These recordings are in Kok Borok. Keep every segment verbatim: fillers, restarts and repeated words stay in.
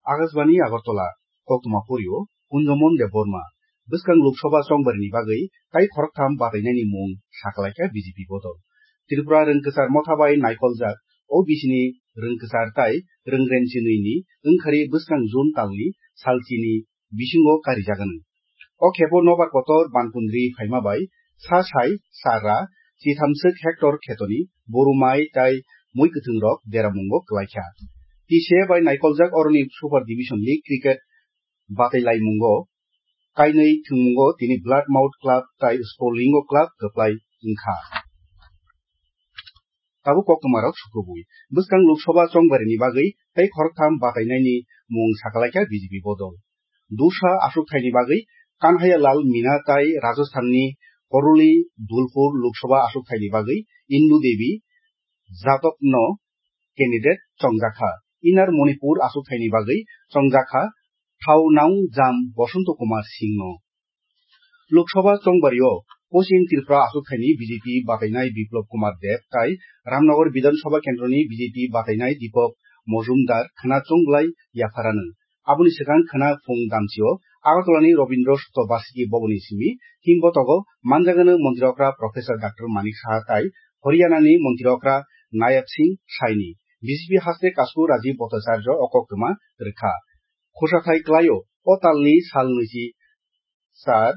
Akashbani Agartala, koktwma porio Kunjomon Debbarma. Bwskang Lok Sabha chongbarini bagwi tai khoroktham batainani mung sakalaikha B J P bodol. Tripura rwngkwchar motha bai naikoljak O B C ni rwngkwchar tai rwng remchinwini wngkhari bwskang June talni salchini bisingo karijaganw. O khepo nobar kotor bankundri phaima bai sa sai sara chithamswk hectare khetoni boru mai tai mui kwthwngrok deramungo kwlaikha. T C A bai naikoljak oroni Super Division League cricket batailaimungo kainwi thwngmungo tini Bloodmouth Club tai Sportlingo Club kwplai wngkha. Tabuk koktwmarok sukubui. Bwskang Lok Sabha chongbarini bagwi tei khoroktham batainaini mung sakalaikha B J P bodol. Dursa aswkthaini bagwi Kanhaiya Lal Mina tai Rajasthanni Karoli Dulpur Lok Sabha aswkthaini bagwi Indu Devi Jadavno candidate chongjakha. Inner Manipur aswkthaini bagwi chongjakha Thaonaungjam Bosonto Kumar Singhno. Lok Sabha chongbario Poschim Tripura aswkthaini B J P batainai Biplab Kumar Deb tai Ramnagar Bidhan Sabha kendroni B J P batainai Deepak Majumdar khwna chongblai yapharano. Aboni swkang khwna phung damchio Agartalani Rabindra Satya Varsiki Bhavanni simi himbotogo manjagano Montri Okra Professor Doctor Manik Saha tai Haryanani Montri Okra Nayab Singh Saini. B J P haste kasku Rajiv Bhattacharya o koktwma rwkha. Khosathai klaio o talni sal nwichi sar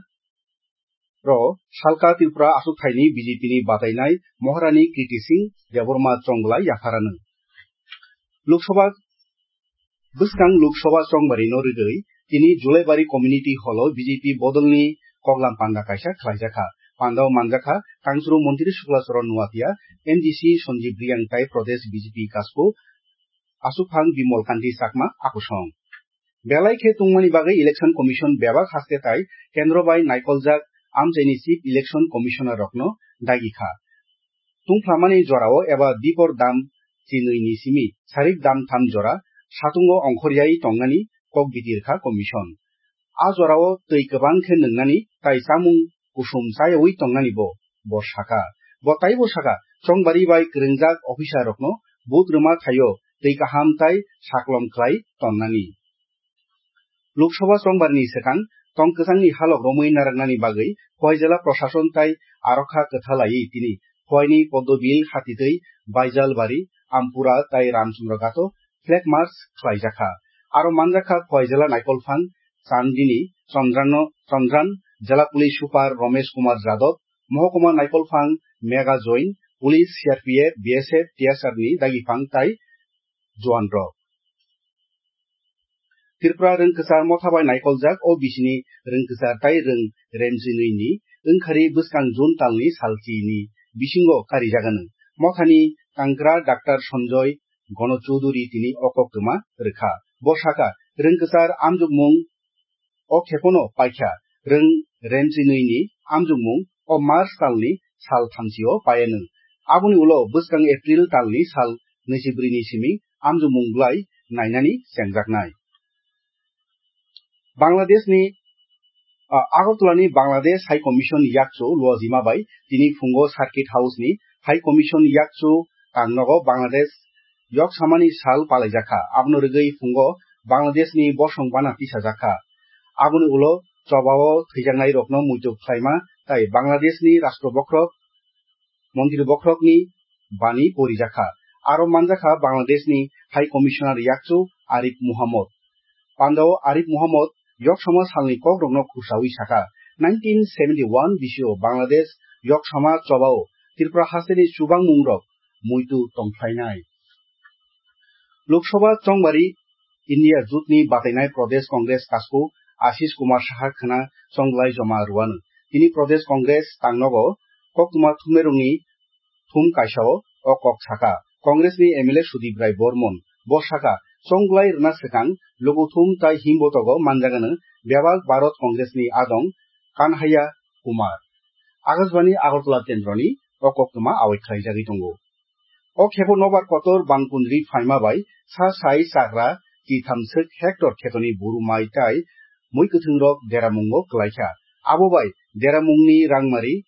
ro salka Tripura aswkthaini B J P ni batainai Maharani Kriti Singh Debbarma chongblai yapharano. Lok Sabha, bwskang Lok Sabha chongbarino rwgwi tini Julaibari Community Hall o B J P bodolni koklam panda kaisa khlaijakha. Pandao manjakha Kangchuru Montri Shukla Charan Nuatia, M D C Sanjeev Reang tai Pradesh B J P kasku Aswkphang Bimal Kanti Chakma akosong. Belai khe tungmani bagwi Election Commission bebak haste tai kendro bai naikoljak amchaini Chief Election Commissioner rokno dagi kha. Tungphlamani jorao eba dipor dam chinwi ni simi sarik dam tham jora satungo ongkhoryaui tongnani kok bitir kha Commission. A jorao twi kwbang khe nwngnani tai chamung kusum chayaui tongnani bo, bo saka. Bo taibo saka, chongbari bai kwrwngjak officer rokno vote rwma thaio twi kaham tai saklom khlai tonnani. Lok Sabha chongbarni swkang tong kwchangni halok romwi narwknani bagwi Khowai jela prosason tai arokha kwthalaiwi tini Khowaini Poddobil hatitwi Baijalbari, Ampura tai Ramchandra Ghato flag march khlaijakha. Aro manjakha Khowai jela naikolphang Chandini Chandrano, Chandran, jela police super Romesh Kumar Jadhav, mohokuma naikolphang Mega Join, police, C R P F, B S F, T S R ni dagiphang tai juan rok. Tripura rwngkwchar motha bai naikoljak O B C ni rwngkwchar tai rwng remchinwi ni wngkhari bwskang June talni salchini bisingo karijaganw. Mothani tangkra Doctor Sanjoy Gono Chowdhury tini o koktwma rwkha. Bo saka, rwngkwchar amjokmung o khepono paikha, rwng remchinwi ni amjokmung o March talni sal thamchi o paianw. Aboni ulo bwskang April talni sal nwichibrwi ni simi amjokmung bwlai nainani chengjaknai. Bangladesh ni, ah, Agartala ni Bangladesh High Commission yakchu luajima bai tini phungo Circuit House ni High Commission yakchu tangnogo Bangladesh yok samani sal palaijakha. Abono rwgwi phungo Bangladesh ni bosong bana tisajakha. Aboni ulo chobao thwijaknai rokno muitu khlaima tai Bangladesh ni Rashtra Bokhorok, Montri Bokhorokni bani porijakha. Aro manjakha Bangladeshni High Commissioner yakchu Arif Muhammad. Pandao Arif Muhammad yoksama salni kokrokno khursawi saka, nineteen seventy-one bisio Bangladesh yoksama chobao Tripura hasteni chubangmungrok muitu tongphlainai. Lok Sabha chongbari India jotni batainai Pradesh Congress kasku Ashish Kumar Saha khwna chonglai joma rwano. Tini Pradesh Congress tangnogo koktwma thumnairokni thum kaisao o kok saka. Congressni M L A Sudip Rai Bormon bo saka, chonglai rwna swkang lukuthum tai himbotogo manjagano bebak Bharat Congressni adong Kanhaiya Kumar. Akashbani Agartala kendroni o koktwma awai khlaijagwi tongo. O khepo nobar kotor bangkundri phaima bai sa sai chakra chitham swk hectare khetoni buru mai tai mui kwthwngrok deramungo kwlaikha. Abo bai deramungni rangmari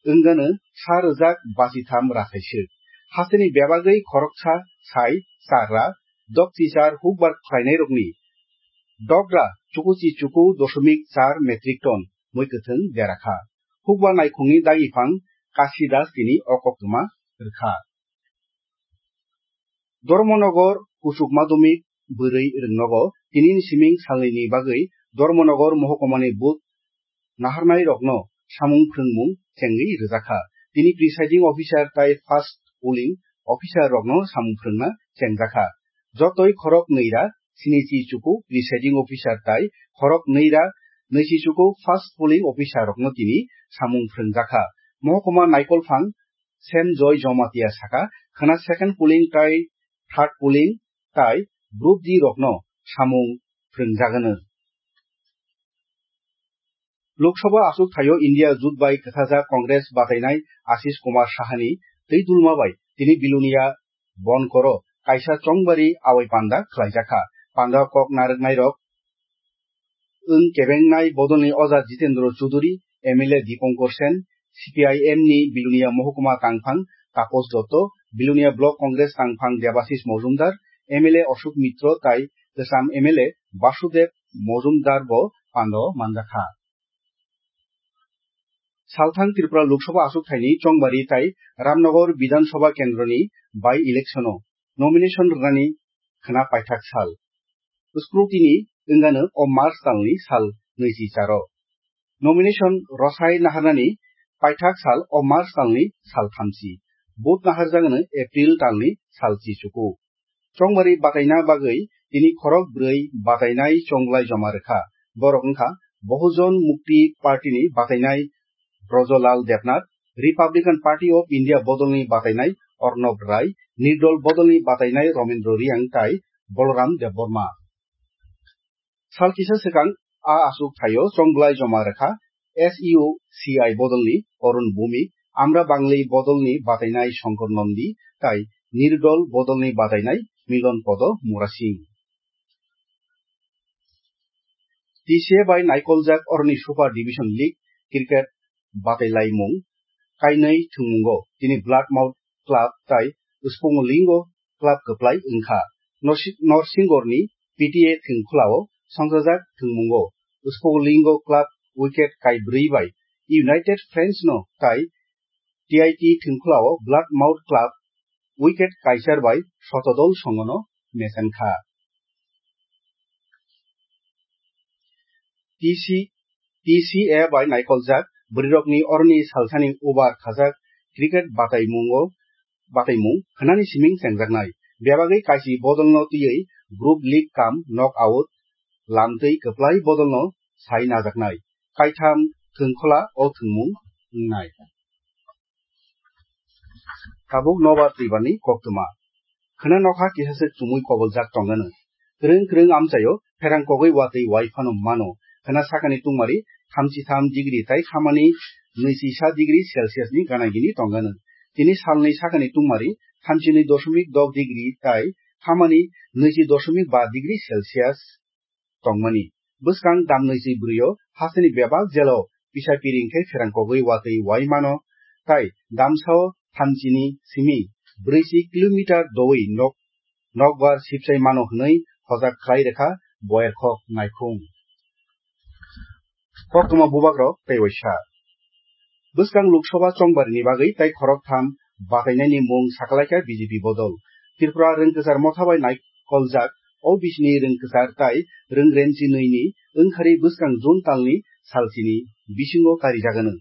wngano sa rwjak bachitham rathai swk. Hasteni bebagwi khoroksa sai chakra Dokchichar hukbar khlainairokni dogra chukuchi chuku dosomik char metric ton mui kwthwng derakha. Hukbar naikhungni dagiphang Kasi Das tini o koktwma rwkha. Dharmanagar kuchuk madhyamik bwrwi rwngnogo tinini siming salnwini bagwi Dharmanagar mohokmani booth naharnairokno samung phrwngmung chengwi rwjakha. Tini presiding officer tai first polling officer rokno samung phrwngna chengjakha. Jotoi khorok nwi ra sinichi chuku presiding officer tai khorok nwi ra nwichi chuku first polling officer rokno tini samung phrwngjakha. Mohokma Naikolphang Sem Joy Jomatia saka, khwna second polling tai third polling tai group D rokno samung phrwngjagano. Lok Sabha achuk thaio India jut bai kwthajak Congress batainai Ashish Kumar Sahani twi dulma bai tini Bilonia Bonkoro kaisa chongbari awai panda khlaijakha. Panda kok narwknairok wng kebengnai bodolni Oja Jitendra Chuduri, M L A Dipankar Sen, C P I M ni Bilonia mohokma tangphang Taposh Dotto, Bilonia Block Congress tangphang Debashish Mojumdar, M L A Ashok Mitro tai kwcham M L A Basudev Mojumdar bo pando manjakha. Salthang Tripura Lok Sabha achuk thaini chongbari tai Ramnagar Bidhan Sabha kendroni by election o nomination rwnani khwna paithak sal. Scrutiny wngano o March talni sal nwichi charo. Nomination rwsai naharnani paithak sal o March talni sal thamchi. Vote naharjagano April talni sal chichuku. Chongbari bataina bagwi tini khorok bwrwi batainai chonglai joma rwkha. Borok wngkha Bahujan Mukti Party ni batainai Brojolal Debnath, Republican Party of India bodolni batainai Arnab Rai, Nirdol bodolni batainai Ramendra Reang tai Balaram Debbarma. Sal kisa swkang a achuk thaio chonglai joma rwkha S U C I bodolni Arun Bhowmik, Amra Bangli bodolni batainai Shankar Nandi tai Nirdol bodolni batainai Milan Podo Murasing. T C A bai naikoljak oroni Super Division League cricket batailaimung kainwi thwngmungo tini Blood Mountain Club tai Spongolingo Club kwplai wngkha. Norsi-, Norsingorni P T A thwngkhulao songchajak thwngmungo Spongolingo Club wicket kaibrwi bai United Friends no tai T I T thwngkhulao Blood Mountain Club wicket kaichar bai sotodol songono mechankha. T C, T C A bai naikoljak bwrwirokni oroni salsani over khajak cricket bataimungo, bataimung khwnani siming chengjaknai. Bebagwi kaisi bodolno twiwi group league kam knock out lamtwi kwplai bodolno sai najaknai. Kaitham thwngkhwla o thwngmung wngnai. Tabuk nobar twibani koktwma. Khwna nokha kisaswk chumui koboljak tongano. Kwrwng kwrwng amchaio pherang kogwi watwi wai phano mano. Khwna sakani tungmari thamchi tham degree tai khamani nwichi sa degree Celsius ni gana gini tongano. Tini salni sakani tungmari thamchi nwi dosomik dok degree tai khamani nwichi dosomik ba degree Celsius tongmani. Bwskang damnwi si bwrwio hasteni bebak jelo pisa piring khe pherang kogwi watwi wai mano, tai damsao thamchini simi brwichi kilometer doui nok-, nokbar sipsai mano hwnwi hojak khlai rwkha Boyarkhok naikhung. Koktwma bubagrok tei waisa. Bwskang Lok Sabha chongbarini bagwi tai khoroktham batainaini mung sakalaikha B J P bodol. Tripura Rwngkwchar Motha bai naikoljak O B C ni rwngkwchar tai rwngremchi nwini wngkhari bwskang June talni salchini bisingo karijagano.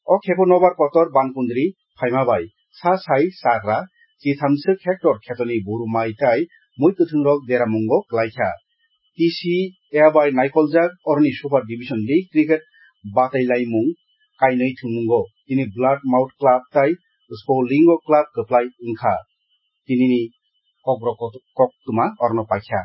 O khepo nobar kotor bankundri phaima bai sa sai chagra chithamswk hectare khetoni buru mai tai mui kwthwngrok deramungo klaikha. T C A bai naikoljak oroni Super Division League cricket batailaimung kainwi thwngmungo. Tini Blood Mountain Club tai Spongolingo Club kwplai wngkha. Tinini kokborok kot-, koktwma orno paikha.